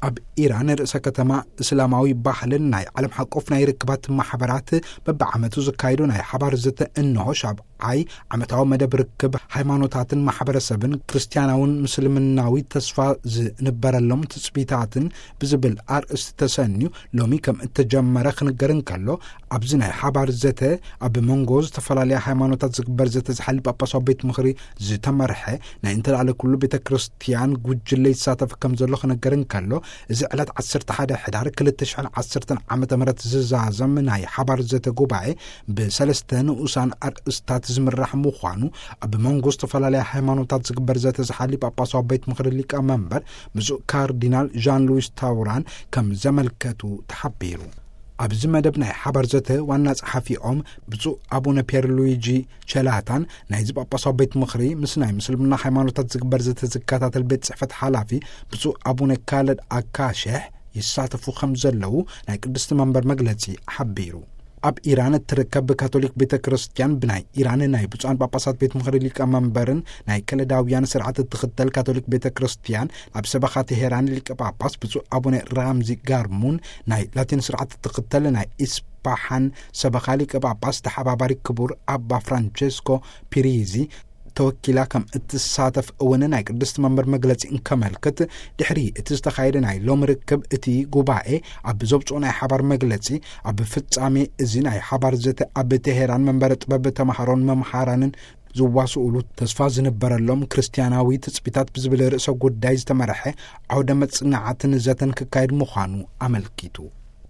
ኣብ ኢራን ርእሰ ከተማ እስላማዊ ባህልን ናይ ዓለም ሓቆፍ ናይ ርክባት ማሕበራት በብዓመቱ ዝካየዱ ናይ ሓባር ዘተ እንሆ ሻብዓይ ዓመታዊ መደብ ርክብ ሃይማኖታትን ማሕበረሰብን ክርስቲያናውን ምስልምናዊ ተስፋ ዝንበረሎም ትጽቢታትን ብዝብል ኣርእስቲ ተሰንዩ ሎሚ ከም እተጀመረ ክንገር እንከሎ፣ ኣብዚ ናይ ሓባር ዘተ ኣብ መንጎ ዝተፈላለያ ሃይማኖታት ዝግበር ዘተ ዝሓሊ ጳጳሳዊ ቤት ምኽሪ ዝተመርሐ ናይ እንተላለ ኩሉ ቤተ ክርስቲያን ጉጅለ ይሳተፍ ከም ዘሎ ክነገር እንከሎ፣ እዚ ዕለት ዓሰርተ ሓደ ሕዳር ክልተ ሽሕን ዓሰርተን ዓመተ ምህረት ዝዛዘም ናይ ሓባር ዘተ ጉባኤ ብሰለስተ ንኡሳን ኣርእስታት ዝምራሕ ምዃኑ ኣብ መንጎ ዝተፈላለያ ሃይማኖታት ዝግበር ዘተ ዝሓሊ ጳጳሳዊ ቤት ምኽሪ ሊቀ መንበር ብፁዕ ካርዲናል ዣን ሉዊስ ታውራን ከም ዘመልከቱ ተሓቢሩ። ኣብዚ መደብ ናይ ሓባር ዘተ ዋና ጸሓፊኦም ብፁዕ ኣቡነ ፒየር ሉዊጂ ቸላታን ናይዚ ጳጳሳዊ ቤት ምኽሪ ምስ ናይ ምስልምና ሃይማኖታት ዝግበር ዘተ ዝከታተል ቤት ጽሕፈት ሓላፊ ብፁዕ ኣቡነ ካለድ ኣካሸሕ ይሳተፉ ከም ዘለዉ ናይ ቅድስቲ መንበር መግለጺ ሓቢሩ። ኣብ ኢራን እትርከብ ካቶሊክ ቤተ ክርስቲያን ብናይ ኢራን ናይ ብፁዓን ጳጳሳት ቤት ምኽሪ ሊቀ መንበርን ናይ ከለዳውያን ስርዓት እትኽተል ካቶሊክ ቤተ ክርስቲያን ኣብ ሰበኻ ቴሄራን ሊቀ ጳጳስ ብፁዕ ኣቡነ ራምዚ ጋርሙን ናይ ላቲን ስርዓት እትኽተል ናይ ኢስፓሓን ሰበኻ ሊቀ ጳጳስ ተሓባባሪ ክቡር ኣባ ፍራንቸስኮ ፒሪዚ ተወኪላ ከም እትሳተፍ እውን ናይ ቅድስቲ መንበር መግለጺ እንከመልክት፣ ድሕሪ እቲ ዝተኻየደ ናይ ሎም ርክብ እቲ ጉባኤ ኣብ ዘብጽኦ ናይ ሓባር መግለጺ፣ ኣብ ፍጻሜ እዚ ናይ ሓባር ዘተ ኣብ ቴሄራን መንበረ ጥበብ ተማሃሮን መምሃራንን ዝዋስኡሉ ተስፋ ዝንበረሎም ክርስቲያናዊ ትጽቢታት ብዝብል ርእሰ ጉዳይ ዝተመርሐ ዓውደ መጽናዕትን ዘተን ክካየድ ምዃኑ ኣመልኪቱ።